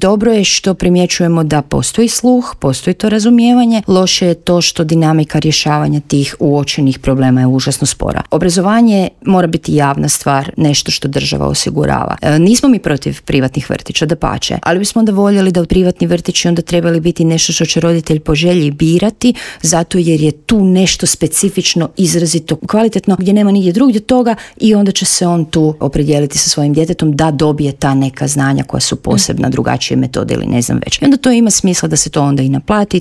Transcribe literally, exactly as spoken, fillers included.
Dobro je što primjećujemo da postoji sluh, postoji to razumijevanje, loše je to što dinamika rješavanja tih uočenih problema je užasno spora. Obrazovanje mora biti javna stvar, nešto što država osigurava. E, nismo mi protiv privatnih vrtića, dapače, ali bismo onda voljeli da privatni vrtići onda trebali biti nešto što će roditelj po želji birati, zato jer je tu nešto specifično, izrazito kvalitetno, gdje nema nigdje drugdje toga i onda će se on tu opredijeliti sa svojim djetetom da dobije ta neka znanja koja su posebna, drugačije metode ili ne znam već. I onda to ima smisla da se to onda i naplati,